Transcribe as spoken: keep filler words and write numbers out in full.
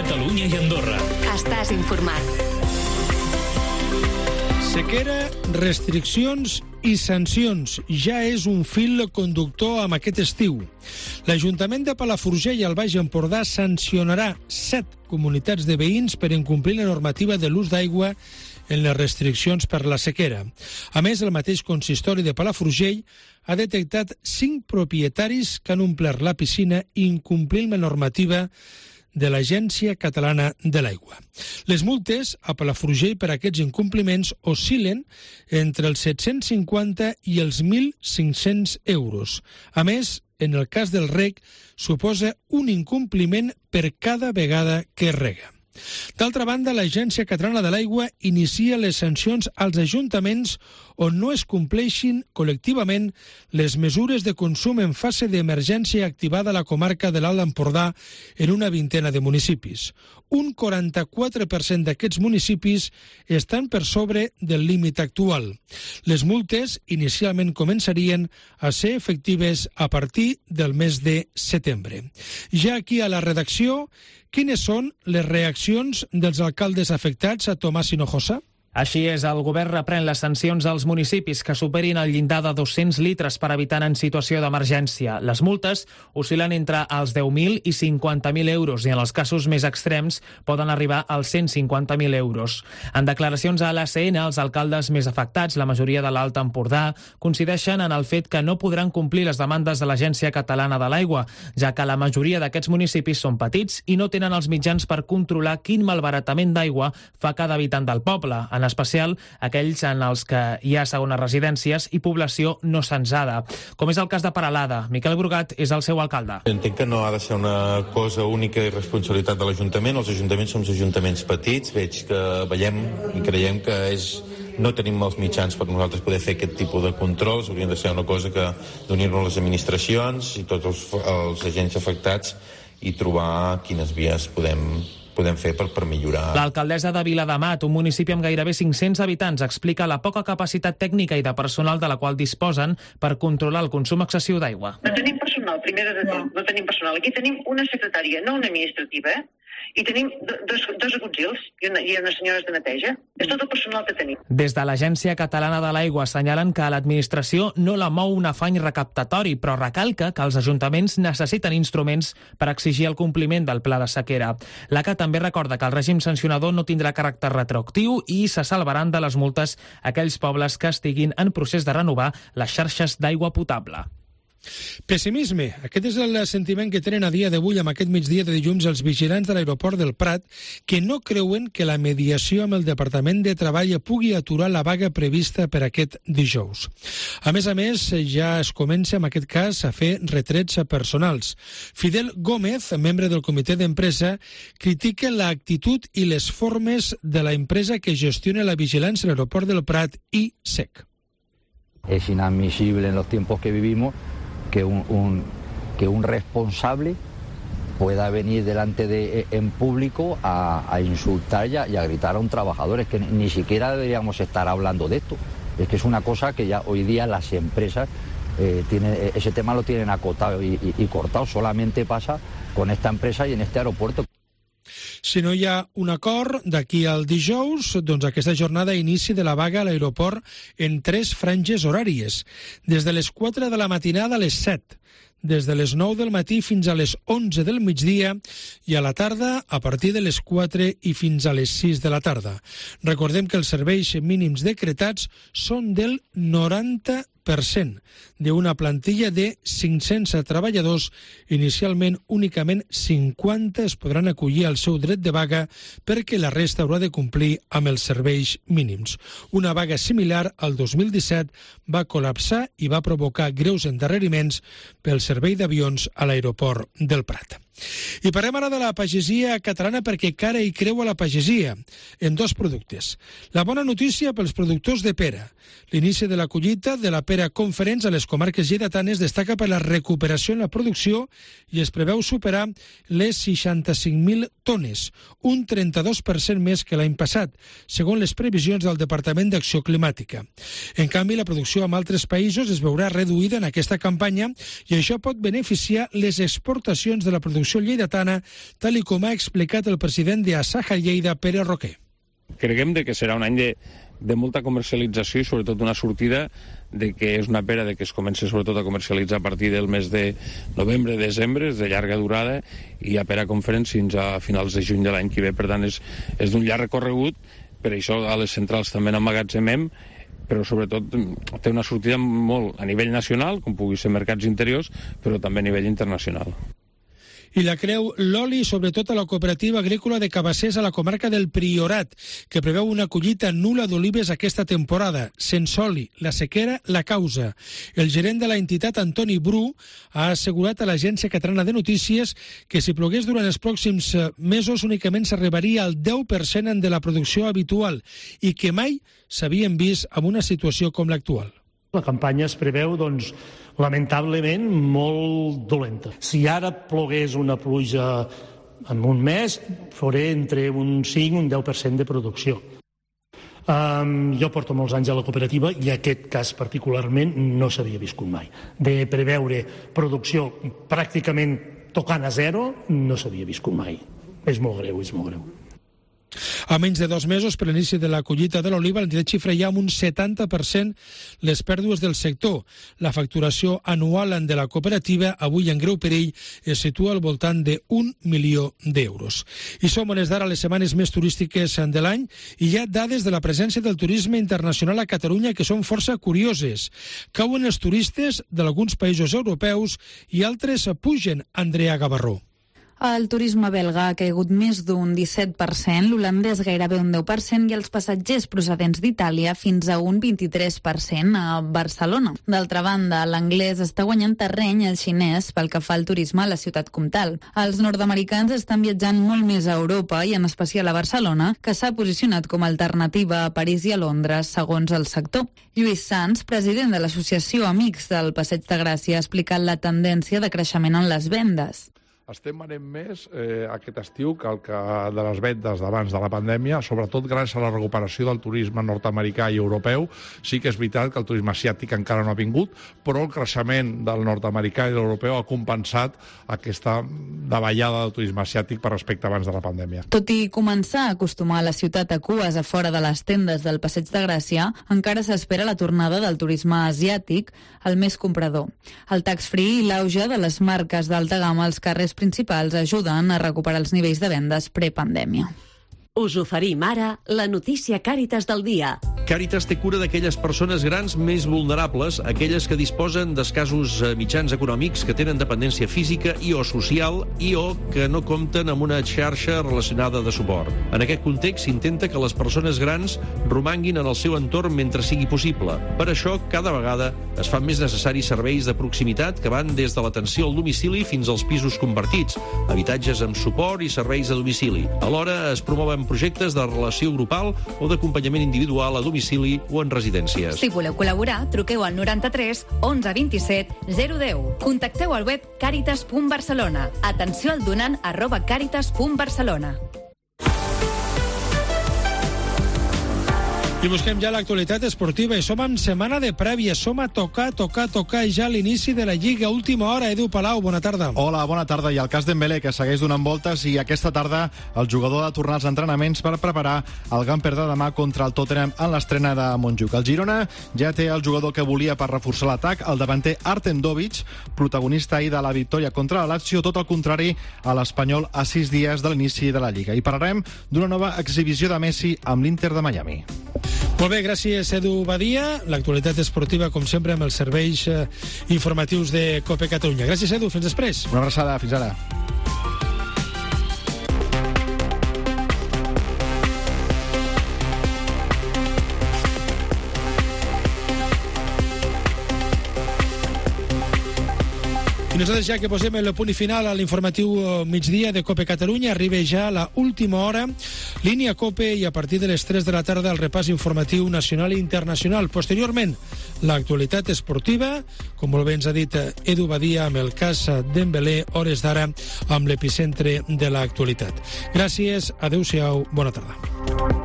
Catalunya i Andorra. Estàs informat. Sequera, restriccions i sancions. Ja és un fil conductor amb aquest estiu. L'Ajuntament de Palafrugell i el Baix Empordà sancionarà set comunitats de veïns per incomplir la normativa de l'ús d'aigua en les restriccions per la sequera. A més, el mateix consistori de Palafrugell ha detectat cinc propietaris que han omplert la piscina incomplint la normativa de l'Agència Catalana de l'Aigua. Les multes a Palafrugell per aquests incompliments oscil·len entre els set-cents cinquanta i els mil cinc-cents euros. A més, en el cas del reg, suposa un incompliment per cada vegada que es rega. D'altra banda, l'Agència Catalana de l'Aigua inicia les sancions als ajuntaments on no es compleixin col·lectivament les mesures de consum en fase d'emergència activada a la comarca de l'Alt Empordà en una vintena de municipis. Un quaranta-quatre per cent d'aquests municipis estan per sobre del límit actual. Les multes inicialment començarien a ser efectives a partir del mes de setembre. Ja aquí a la redacció, quines són les reaccions dels alcaldes afectats a Tomàs Hinojosa? Així és, el govern reprèn les sancions als municipis que superin el llindar de dos-cents litres per habitant en situació d'emergència. Les multes oscil·len entre els deu mil i cinquanta mil euros i en els casos més extrems poden arribar als cent cinquanta mil euros. En declaracions a l'A C N, els alcaldes més afectats, la majoria de l'Alt Empordà, coincideixen en el fet que no podran complir les demandes de l'Agència Catalana de l'Aigua, ja que la majoria d'aquests municipis són petits i no tenen els mitjans per controlar quin malbaratament d'aigua fa cada habitant del poble, en especial aquells en els que hi ha segones residències i població no censada. Com és el cas de Peralada, Miquel Brugat és el seu alcalde. Entenc que no ha de ser una cosa única i responsabilitat de l'Ajuntament. Els ajuntaments som ajuntaments petits, veig que veiem i creiem que és no tenim els mitjans per nosaltres poder fer aquest tipus de controls. Hauria de ser una cosa que d'unir-nos les administracions i tots els, els agents afectats i trobar quines vies podem podem fer per, per millorar. L'alcaldessa de Viladamat, un municipi amb gairebé cinc-cents habitants, explica la poca capacitat tècnica i de personal de la qual disposen per controlar el consum excessiu d'aigua. No tenim personal, primer de tot, no tenim personal. Aquí tenim una secretària, no una administrativa, eh? I tenim dos, dos agutzils i, una, i unes senyores de neteja. És tot el personal que tenim. Des de l'Agència Catalana de l'Aigua assenyalen que l'administració no la mou un afany recaptatori, però recalca que els ajuntaments necessiten instruments per exigir el compliment del pla de sequera. L'A C A també recorda que el règim sancionador no tindrà caràcter retroactiu i se salvaran de les multes aquells pobles que estiguin en procés de renovar les xarxes d'aigua potable. Pessimisme. Aquest és el sentiment que tenen a dia d'avui amb aquest migdia de dilluns els vigilants de l'aeroport del Prat, que no creuen que la mediació amb el Departament de Treball pugui aturar la vaga prevista per aquest dijous. A més a més, ja es comença en aquest cas a fer retrets personals. Fidel Gómez, membre del comitè d'empresa, critica l'actitud i les formes de la empresa que gestiona la vigilància a l'aeroport del Prat i S E C. Es inadmisible en los tiempos que vivimos que un, un, que un responsable pueda venir delante de en público a, a insultar y a, y a gritar a un trabajador. Es que ni siquiera deberíamos estar hablando de esto. Es que es una cosa que ya hoy día las empresas eh, tienen, ese tema lo tienen acotado y, y, y cortado. Solamente pasa con esta empresa y en este aeropuerto. Si no hi ha un acord d'aquí al dijous, doncs aquesta jornada inici de la vaga a l'aeroport en tres franges horàries, des de les quatre de la matinada a les set, des de les nou del matí fins a les onze del migdia i a la tarda a partir de les quatre i fins a les sis de la tarda. Recordem que els serveis mínims decretats són del noranta per cent d'una plantilla de cinc-cents treballadors. Inicialment, únicament cinquanta es podran acollir al seu dret de vaga perquè la resta haurà de complir amb els serveis mínims. Una vaga similar al dos mil disset va col·lapsar i va provocar greus endarreriments pel servei d'avions a l'aeroport del Prat. I parlem ara de la pagesia catalana perquè cara i creu a la pagesia en dos productes. La bona notícia pels productors de pera. L'inici de la collita de la pera Conferents a les comarques lleidatanes destaca per la recuperació en la producció i es preveu superar les seixanta-cinc mil tones, un trenta-dos per cent més que l'any passat, segons les previsions del Departament d'Acció Climàtica. En canvi, la producció en altres països es veurà reduïda en aquesta campanya i això pot beneficiar les exportacions de la producció producció lleidatana, tal i com ha explicat el president d'Asaja Lleida, Pere Roquer. Creiem que serà un any de, de molta comercialització i sobretot una sortida de que és una pera de que es comença sobretot a comercialitzar a partir del mes de novembre, desembre, és de llarga durada, i a Pera Conference fins a finals de juny de l'any que ve. Per tant, és, és d'un llarg recorregut, per això a les centrals també n'emmagatzemem, però sobretot té una sortida molt a nivell nacional, com pugui ser mercats interiors, però també a nivell internacional. I la creu l'oli, sobretot a la cooperativa agrícola de Cabassers a la comarca del Priorat, que preveu una collita nul·la d'olives aquesta temporada. Sense oli, la sequera, la causa. El gerent de la entitat, Antoni Bru, ha assegurat a l'Agència Catalana de Notícies que si plogués durant els pròxims mesos únicament s'arribaria al deu per cent de la producció habitual i que mai s'havien vist en una situació com l'actual. La campanya es preveu, doncs, lamentablement, molt dolenta. Si ara plogués una pluja en un mes, faré entre un cinc i un deu per cent de producció. Um, jo porto molts anys a la cooperativa i aquest cas particularment no s'havia viscut mai. De preveure producció pràcticament tocant a zero no s'havia viscut mai. És molt greu, és molt greu. A menys de dos mesos per l'inici de la collita de l'oliva, l'entitat xifra ja amb un setanta per cent les pèrdues del sector. La facturació anual de la cooperativa, avui en greu perill, es situa al voltant d'un milió d'euros. I som on és d'ara les setmanes més turístiques de l'any i hi ha dades de la presència del turisme internacional a Catalunya que són força curioses. Cauen els turistes d'alguns països europeus i altres pugen. Andrea Gavarró. El turisme belga ha caigut més d'un disset per cent, l'holandès gairebé un deu per cent i els passatgers procedents d'Itàlia fins a un vint-i-tres per cent a Barcelona. D'altra banda, l'anglès està guanyant terreny al xinès pel que fa al turisme a la ciutat comtal. Els nord-americans estan viatjant molt més a Europa i en especial a Barcelona, que s'ha posicionat com a alternativa a París i a Londres, segons el sector. Lluís Sans, president de l'associació Amics del Passeig de Gràcia, ha explicat la tendència de creixement en les vendes. Estem venent més eh, aquest estiu que el que de les vendes d'abans de la pandèmia, sobretot gràcies a la recuperació del turisme nord-americà i europeu. Sí que és veritat que el turisme asiàtic encara no ha vingut, però el creixement del nord-americà i de l'europeu ha compensat aquesta davallada del turisme asiàtic per respecte abans de la pandèmia. Tot i començar a acostumar a la ciutat a cues a fora de les tendes del Passeig de Gràcia, encara s'espera la tornada del turisme asiàtic, el més comprador. El tax-free i l'auge de les marques d'alta gamma als carrers principals ajuden a recuperar els nivells de vendes prepandèmia. Us oferim ara la notícia Càritas del dia. Càritas té cura d'aquelles persones grans més vulnerables, aquelles que disposen d'escassos mitjans econòmics, que tenen dependència física i o social i o que no compten amb una xarxa relacionada de suport. En aquest context s'intenta que les persones grans romanguin en el seu entorn mentre sigui possible. Per això, cada vegada es fan més necessaris serveis de proximitat que van des de l'atenció al domicili fins als pisos compartits, habitatges amb suport i serveis a domicili. Alhora es promouen projectes de relació grupal o d'acompanyament individual a domicili o en residències. Si voleu col·laborar, truqueu al noranta-tres onze vint-i-set zero deu. Contacteu al web caritas punt barcelona. Atenció al donant arroba caritas punt barcelona. I busquem ja l'actualitat esportiva i som en setmana de prèvia, som a tocar, tocar, tocar ja l'inici de la Lliga. Última hora, Edu Palau, bona tarda. Hola, bona tarda. I el cas Dembélé, que segueix donant voltes, i aquesta tarda el jugador ha de tornar als entrenaments per preparar el Gamper de demà contra el Tottenham en l'estrena de Montjuïc. El Girona ja té el jugador que volia per reforçar l'atac, el davanter Artem Dovich, protagonista ahir de la victòria contra la Lazio, tot el contrari a l'Espanyol a sis dies de l'inici de la Lliga. I parlarem d'una nova exhibició de Messi amb l'Inter de Miami. Molt bé, gràcies, Edu Badia. L'actualitat esportiva, com sempre, amb els serveis eh, informatius de COPE Catalunya. Gràcies, Edu. Fins després. Una abraçada. Fins ara. I nosaltres, ja que posem el punt final a l'informatiu migdia de COPE Catalunya, arriba ja la última hora, línia COPE, i a partir de les tres de la tarda el repàs informatiu nacional i internacional. Posteriorment, l'actualitat esportiva, com molt bé ens ha dit Edu Badia, amb el cas Dembélé, hores d'ara, amb l'epicentre de l'actualitat. Gràcies, adeu-siau, bona tarda.